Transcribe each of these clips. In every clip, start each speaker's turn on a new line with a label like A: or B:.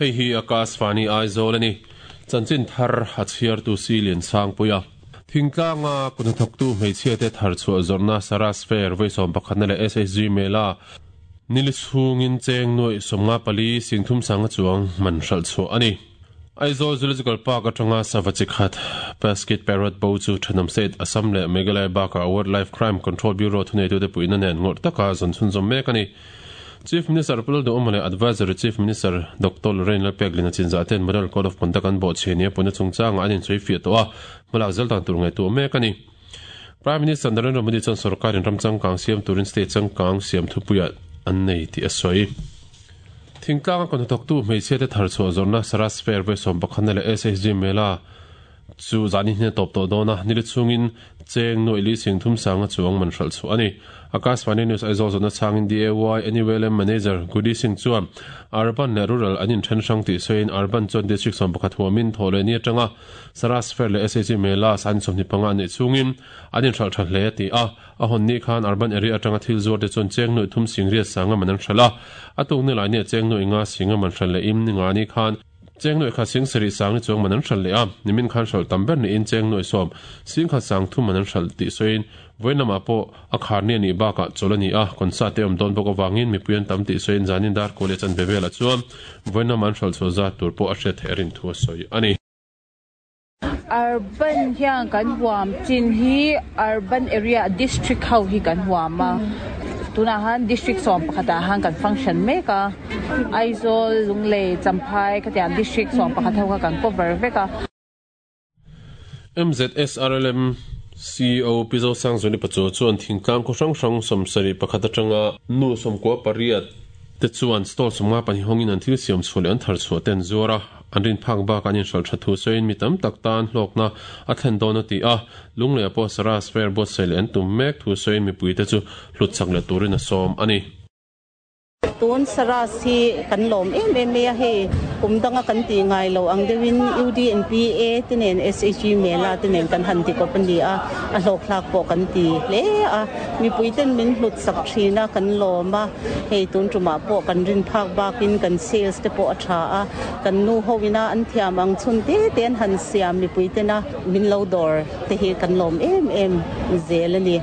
A: Hei hi Akashvani Aizawl a ni. Chanchin thar a chhiartu si Liansangpuia. Thingtlanga kuthnathawktu hmeichhiate thar chhuah zawrhna Saras Fair vawi sawmpakhatna leh SHG Mela nili chhungin cheng nuaih 54 singthum sanga chuang man hralh chhuah a ni. Aizawl Zoological Park atanga sava chi khat Pesky Parrot bo chu thenawm state Assam leh Meghalaya bakah Wildlife Crime Control Bureau thuneitute puihna nen ngawrh taka zawn chhunzawm mek a ni. Chief Minister Pu Lalduhawma leh Advisory Chief Minister Doctor Lorrain Lalpeklin a chinzah ten Model Code of Conduct an bawhchhe nia puihna chungchangah an insawi fiah tawh a, hmalak zel dan tur ngaihtuah mek a ni. Prime Minister Narendra Modi chuan sorkarin ram changkang siam turin state changkang siam thupuiah an nei tih a sawi. Thingtlanga kawnhnathawktu hmeichhiate thar chhuah zawrhna Saras Fair vawi 11na leh SHG Mela chu zan in a tawp tawh dawn a, nili chhungin cheng nuaih li sing thum sanga chuang man hralh chhuah a ni. Akashvani News Aizawl zawhna chhangin DAY NULM Manager Goody Singh chuan Urban leh Rural an inthen hrang tih sawiin Urban chuan District 11 huamin thawh leh ni atanga Saras Fair leh SHG Mela san 25 an neih chhungin an inhralh tha hle a ti a. A hawn ni khan Urban Area atanga thil zuar te chuan cheng nuaih thum sing riat sanga man an hralh a, a tuk ni lai nia cheng nuaih nga singa man hralh leh im ni nga ni khan Cheng nuaih khat sing sarih sang ni chuang man an hralh leh a, nimin khan hralh tam ber niin cheng nuaih sawm sing khat sang thum man an hralh tih sawiin vawiin lamah pawh a khar ni a nih bakah chawlh a ni a, concert te awm dawn bawk avangin mipui an tam tih sawiin zanin dar kual leh chanve velah chuan vawiin lama an hralh chhuah zat tur pawh a hriat theih a rin thu a sawi a ni.
B: Urban hian kan huam chin hi urban area district ho hi kan huam a, tunah han district 11 ah han kan function mek a, Aizawl, Lunglei, Champhai khatiang district 11 ho kha kan cover vek a.
A: MZSRLM CEO Pi Zosangzuali Pachuau chuan thingtlang khaw hrang hrang 71 atanga nu 98 te chuan stall 52 hawngin an thil siam chhuah leh an thar chhuah te an zuar a. An rin phak bakah an inhralh tha thu sawiin mi tam tak tan hlawkna a thlen dawn a ti a, Lungleiah pawh Saras Fair buatsaih leh an tum mek thu sawiin mipuite chu hlut chak leh turin a sawm a ni.
C: Tun Saras hi kan lawm em em mai a, hei kum danga kan tih ngai lo ang deuhin UDNPA te nen SHG Mela te nen kan han ti kawp a ni a, a hlawkthlak pawh kan ti hle a, mipui ten min hlut sak thin a, kan lawm a. Hei tun tumah pawh kan rin phak bakin kan sales te pawh a tha a, kan nu ho ina an thiam ang chhun te te an han siam mipui tena min lo dawr te hi kan lawm em em zel a ni.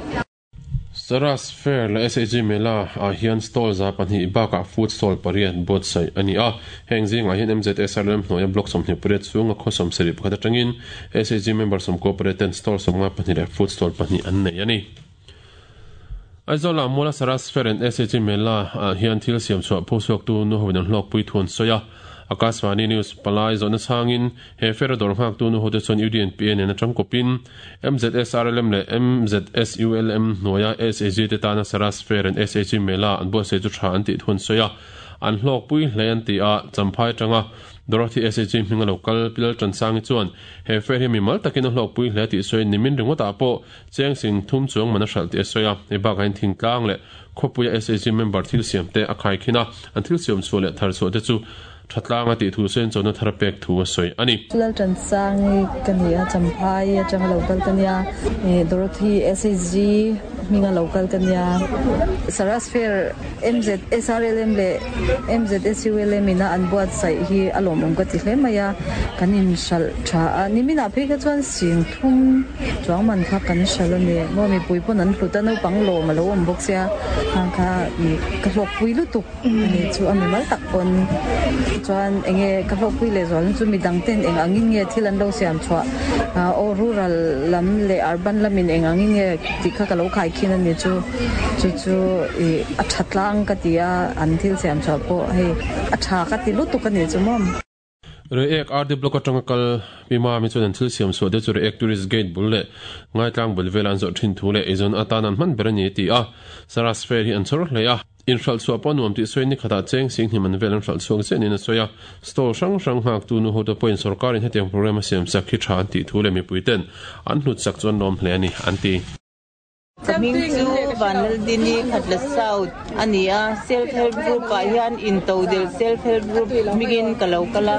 A: Saras Fair leh SHG Mela ah hian stall 200 bakah food stall pariat buatsaih a ni a. Heng zingah hian MZSRLM hnuaia block 28 chhunga khaw 71 atangin SHG member 98 ten stall 52 leh food stall pahnih an nei a ni. Aizawla Muala Saras Fair and SHG Mela ah hian thil siam chhuah phu chhuaktu nu hoin an hlawkpui thu an sawi a. Akashvani News palai zawhna chhangin he fair a dawr nghaktu nu hote chuan UDNPA nen atang kawpin MZSRLM leh MZSULM hnuaia SHG te tana Saras Fair and SHG Mela an buatsaih chu tha an tih thu an sawi a. An hlawkpui hle an ti a, Champhai atanga Dorothy SHG hminga lo kal Pi Laltansangi chuan he fair hi mimal takin a hlawkpui hle tih sawiin nimin ringawtah pawh Cheng sing thum chuang man a hralh tih a sawi a, hei bakah hian thingtlang leh khawpuia SHG member thil siam te a khaikhin a, an thil siam chhuah leh thar chhuah te chu tha tlang a tih thu sawiin chawhna thar a pek thu a sawi a ni.
D: Laltansangi ka ni a, Champhai atanga lo kal ka nia, Dorothy SHG hminga lo kal ka nia. Saras Fair MZSRLM leh MZSULM ina an buatsaih hi a lawmawm ka ti hle mai a, kan inhralh tha a, niminah phei kha chuan sing thum chuang man kha kan hralh a ni maw, mipui pawn an hlut a, naupang lawm a lo awm bawk sia, khang kha ka hlawkpui lutuk a ni chu a mimal tak pawn chuan enge ka hlawkpui leh zual na chu midang ten eng angin nge thil an lo siam chhuah aw rural lam leh urban lamin eng angin nge tih kha ka lo khaikhin a ni chu chu chu ih a tha tlang ka ti a, an thil siam chhuah pawh hei a tha ka ti lutuk a ni chu maw.
A: Reiek RD Block atanga kal Pi Mami chuan an thil siam chhuah te chu Reiek Tourist Gate bul leh Ngaitlang bul vela an zawrh thin thu leh eizawn atan an hman ber a ni a ti a. Saras Fair hi an chhawr hle a. Inhralh chhuah pawh nuam tih sawiin ni khatah cheng sing hnim an vel an hralh chhuak chiah niin a sawi a. Stall hrang hrang nghaktu nu hote pawhin sorkarin hetiang programme a siam chak hi tha an tih thu leh mipuiten an hlut chak chu an lawm hle a ni, an ti.
E: Ka hming chu Vanlaldini Khatla South a ni a, Self Help Group ah hian Intodelh Self Help Group hmingin ka lo kal a,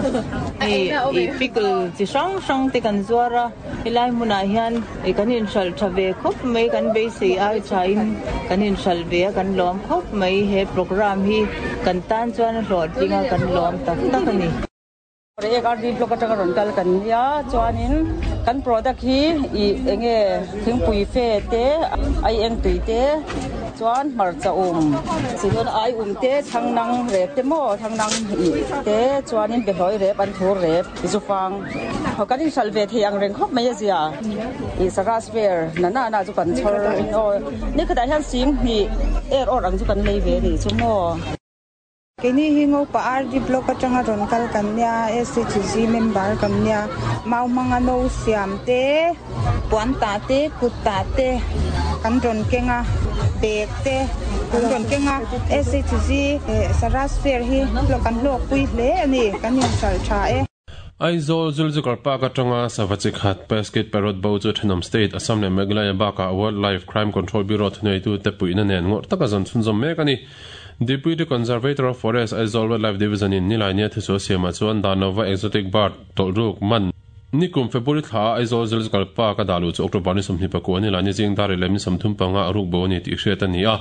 E: hei ih pickle chi hrang hrang te kan zuar a, helai hmunah hian ih kan inhralh tha ve khawp mai, kan beisei ai thain kan inhralh ve a, kan lawm khawp mai, he programme hi kan tan chuan a hlawhtling a, kan lawm tak tak a ni.
F: Reiek RD Block atanga rawn kal kan nia, chuanin kan product hi ih enge thingpui fe te, aieng tui te, chuan hmarcha um, chidawn ai um te, thangnang rep te maw, thangnang ih te, chuanin behlawi rep, an thur rep, zufang kan inhralh ve thei ang reng khawp mai a zia. Ih Saras Fair na na na chu kan chhawr in aw, nikhatah hian sing hnih er awr ang chu kan lei ve a nih chu maw.
G: Keini hi Ngopa RD Block atanga rawn kal kan nia, SHG member kan nia. Mau hmanga no siam te, puan tah te, kut tah te kan rawn keng a, bag te kan rawn keng a. SHG Saras Fair hi kan hlawkpui hle a ni, kan inhralh tha e.
A: Aizawl Zoological Park atanga sava chi khat Pesket Parrot bo chu thenawm state Assam leh Meghalaya bakah Wildlife Crime Control Bureau thuneitute puihna nen ngawrh taka zawn chhunzawm mek a ni. Deputy Conservator of Forest Aizawl Wildlife Division in Nilaini a thusual siamah chuan dan lova exotic bird tawlhruk man Nikum February thla a Aizawl Zoological Park a dah luh chu October ni 24 Nilaini zing dar leh ni 35 a ruk bo a ni tih hriat a ni a.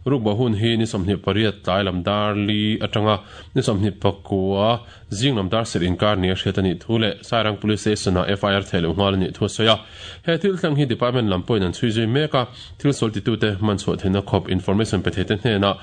A: Ruk bo hun hi ni 28 tlai lam dar li atanga ni 29 Zing lam dar serh inkar nia hriat a nih thu leh Sairang Police Station-ah FIR theih loh nghal a nih thu a sawi a. He thil thleng hi Department lam pawhin an chhui zui mek a, thil sual titute hman chhuah theihna khawp information pe theite hnenah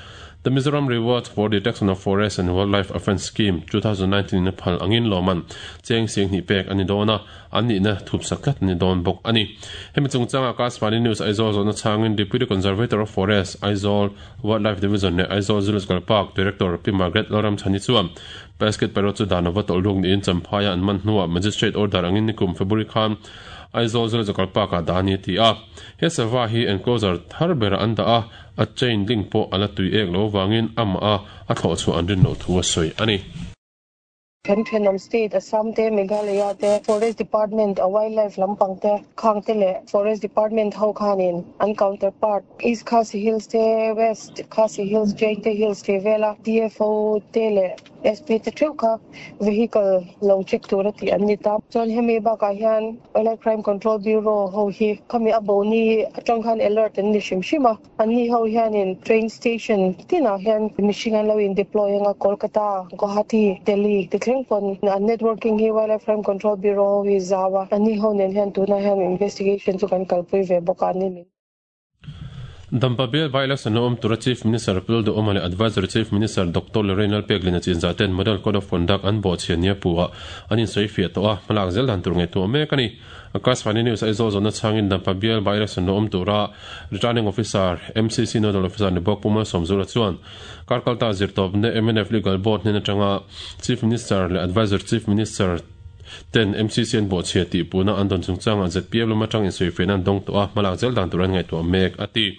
A: The Mizoram Rewards for Detection of Forest and Wildlife Offence Scheme, 2019 in a phal angin lawmman cheng sing hnih pek a ni dawn a, an nihna thupsak tlat a ni dawn bawk a ni. Hemi chungchanga Akashvani News Aizawl zawhna chhangin Deputy Conservator of Forest, Aizawl Wildlife Division leh Aizawl Zoological Park Director Pi Margaret Lalramchhani chuan Basket Parrot chu dan lova tawlh ruk niin Champhaia an man hnuah Magistrate order angin nikum February khan Aizawl Zoological Park-ah dah a ni a ti a. He sava hi enclosure thar berah an dah a, a chain link pawh a la tui ek lo avangin amah a a thlawh chhuah an rin loh thu a sawi a ni.
H: Kan thenawm state Assam te, Meghalaya te, Forest Department a wildlife lampang te khang te leh Forest Department ho khanin an counterpart East Khasi Hills te, West Khasi Hills, Jaite Hills tih vela DFO te leh SP te theuh kha vehicle lo check tura tih an ni ta. Chuan hemi bakah hian Wildlife Crime Control Bureau ho hi khami a bo ni atang khan alert an ni hrim hrim a. Anni ho hianin train station tinah hian mihring an lo in deploy anga Kolkata, Guwahati, Delhi ti thleng pawn an networking hi Wildlife Crime Control Bureau ho hi zau a, anni ho nen hian tunah hian investigation chu kan kalpui ve bawk a, anni min.
A: Dampa Bial by-election lo awm tura Chief Minister Pul Duhawma leh Advisory Chief Minister Doctor Lorrain Lalpeklina chinzah ten Model Code of Conduct an bawhchhiah nia puhah an insawifiah tawh a, hmalak zel dan tur ngaihtuah mek a ni. Akashvani News Aizawl zawhna chhangin Dampa Bial by-election lo awm tura Returning Officer, MCC Nodal Officer ni bawk Pu Malsawmzula chuan Karkalta zirtawpna mnf Legal Board hnen atanga Chief Minister leh Adviser Chief Minister ten MCC an bawhchhia tih puhna an dawn chungchangah zpm lam atang insawifiahna an dawng tawh a, hmalak zel dan tur an ngaihtuah mek, a ti.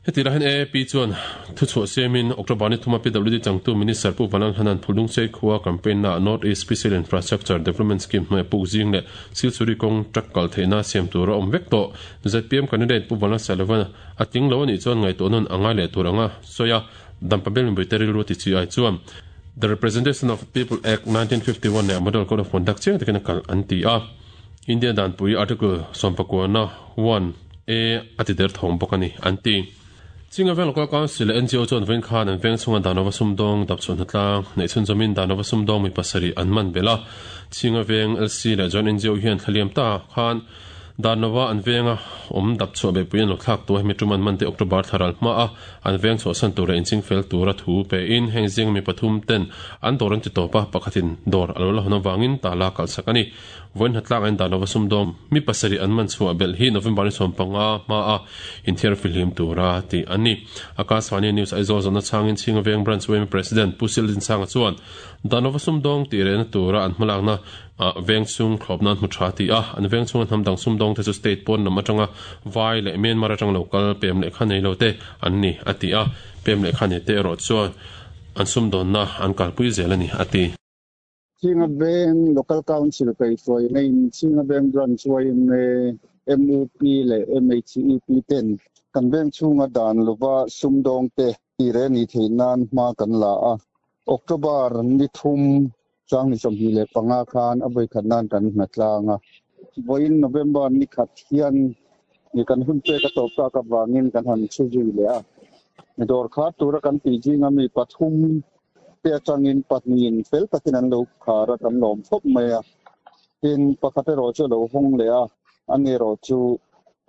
A: Heti lai hian AAP chuan thuchhuah siamin October ni thuma PWD changtu Minister Pu Vanlalhana'n Phulungchei khua campaign naah North East Special Infrastructure Development Scheme hnuaia puk zing leh Silchuri kawng truck kal theihna siam tur a awm vek tawh. Zpm candidate Pu Vanlalsailova'n a tling lo a nih chuan ngaihtuah nawn a ngai leh tur anga sawi a, Dampa Bial mipuite rilru ti chi ai chuan The Representation of People Act 1951 leh Model Code of Conduct chiang takin a kalh an ti a. India danpui Article 19 1 A a ti der thawng bawk a ni, an ti. Chinga Veng Local Council leh NGO chuan vawiin khan an veng chhunga Danova sumdawng dapchhuah hnatlang neih chhunzawmin Danova sumdawng mi pasarih an man belh a. Chinga Veng LC leh Joint NGO hian thlaliam ta khan Danova an venga awm dapchhuah beihpui an lo thlak tu a, hemi tum an man te October thla ral hma a an veng chhuahsan tur leh inching fel tura thu pein heng zinga mi pathum ten an dawr an ti tawp a, pakhatin dawr a lo la hawn avangin tala kalhsak a ni. Vawiin hnatlak a indan lova sumdawng mi pasarih an man chhuah belh hi November ni 15 hma a inthiar fihlim tura tih an ni. Akashvani News Aizawl zawhna chhangin Chhinga Veng Branch yma President Pu Sildinchanga chuan dan lova sumdawng tih rehna tura an hmalakna ah veng chhung thlawp nan hmu tha ti a, an veng chhunga hnam dang sumdawng te chu state pawn lam atanga vai leh Myanmar atang lo kal pem lehkha nei lo te an ni a ti a, pem lehkha nei te erawh chuan an sumdawnna an kalpui zel a ni a ti.
I: Chhinga Veng Local Council kaihhruaina in Chhinga Veng Branch yma, MUP leh MHEP ten kan veng chhunga dan lova sumdawngte tire ni theih nan hma kan la a. October ni thum chang ni 25 khan a vawikhat nan kan hna tlang a. Vawiin November ni khat hian ni kan hun pek a tawp tak avangin kan han chhu zui leh a. Dawr khar tura kan tih zinga mi pathum. te atangin pahnihin fel takin an lo khar a, kan lawm khawp mai a. Tin, pakhat erawh chu a lo hawng leh a, ani erawh chu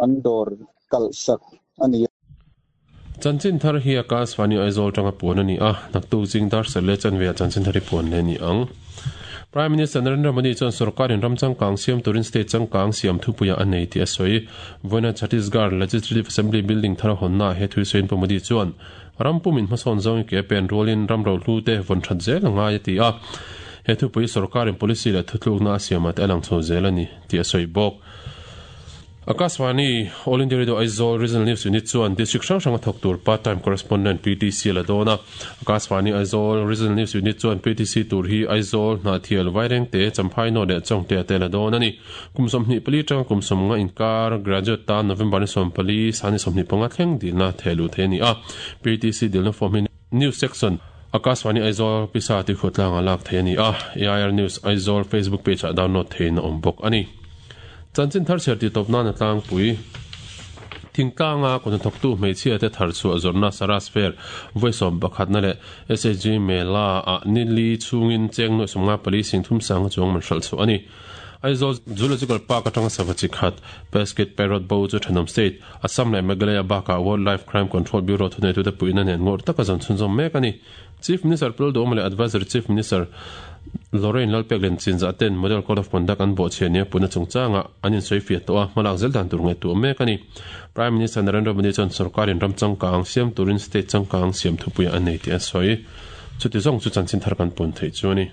I: an dawr kalh sak a ni.
A: Chanchin thar hi Akashvani Aizawl tanga puan a ni a, naktuk zing dar serh leh chanve ah chanchin thar hi puan leh a ni ang. Prime Minister Narendra Modi chuan sorkarin ram changkang siam turin state changkang siam thupuiah a nei tih a sawi. Vawiina Chhattisgarh Legislative Assembly building thar a hawnnaah he thu sawiin Pu Modi chuan ram pumin hmasawn zawng i ke a pen rualin ram rohlu te vawn that zel a ngai a ti a. He thupui sorkarin policy leh thutlukna a siamah te a lang chho zel a ni tih a sawi bawk. Akashvani, All India Radio Aizawl Regional News Unit chuan District hrang hranga thawk tur Part Time Correspondent, PTC, a la dawn a. Akashvani Aizawl Regional News Unit chuan PTC tur hi Aizawl, Hnahthial, Vairengte, Champhai North leh Chawngte te a la dawn a ni. Kum 24 atanga kum 50 inkar graduate tan November ni 14, Sani 25 thleng dilna theh luh theih a ni a. PTC dilna form hi News Section, Akashvani Aizawl Pisa Tikhuatlanga lak theih a ni a. AIR News Aizawl Facebook page ah download theihin a awm bawk a ni. Chanchin thar chhiar tih tawp nan a tlangpui. Thingtlanga kut hnathawktu hmeichhia te thar chhuah zawrhna Saras Fair vawi 11na leh SHG Mela ah ni li chhungin cheng nuaih 54 sing thum sanga chuang man hralh chhuah a ni. Aizawl Zoological Park atanga sava chi khat Pesket Parrot bo chu thenawm state, Assam leh Meghalaya bakah Wildlife Crime Control Bureau thuneitute puihna nen ngawrh taka zawn chhunzawm mek a ni. Chief Minister Pul Duhawma leh Advisory Chief Minister Lorraine Lalpeklen Chinzah ten Model Code of Conduct an bawhchhiah nia puhna chungchangah an insawifiah tawh a, hmalak zel dan tur ngaihtuah mek a ni. Prime Minister Narendra Modi chuan sorkarin ram changkang siam turin state changkang siam thupuiah a nei tih a sawi. Chuti zawng chu chanchin thar kan pun theih chu a ni.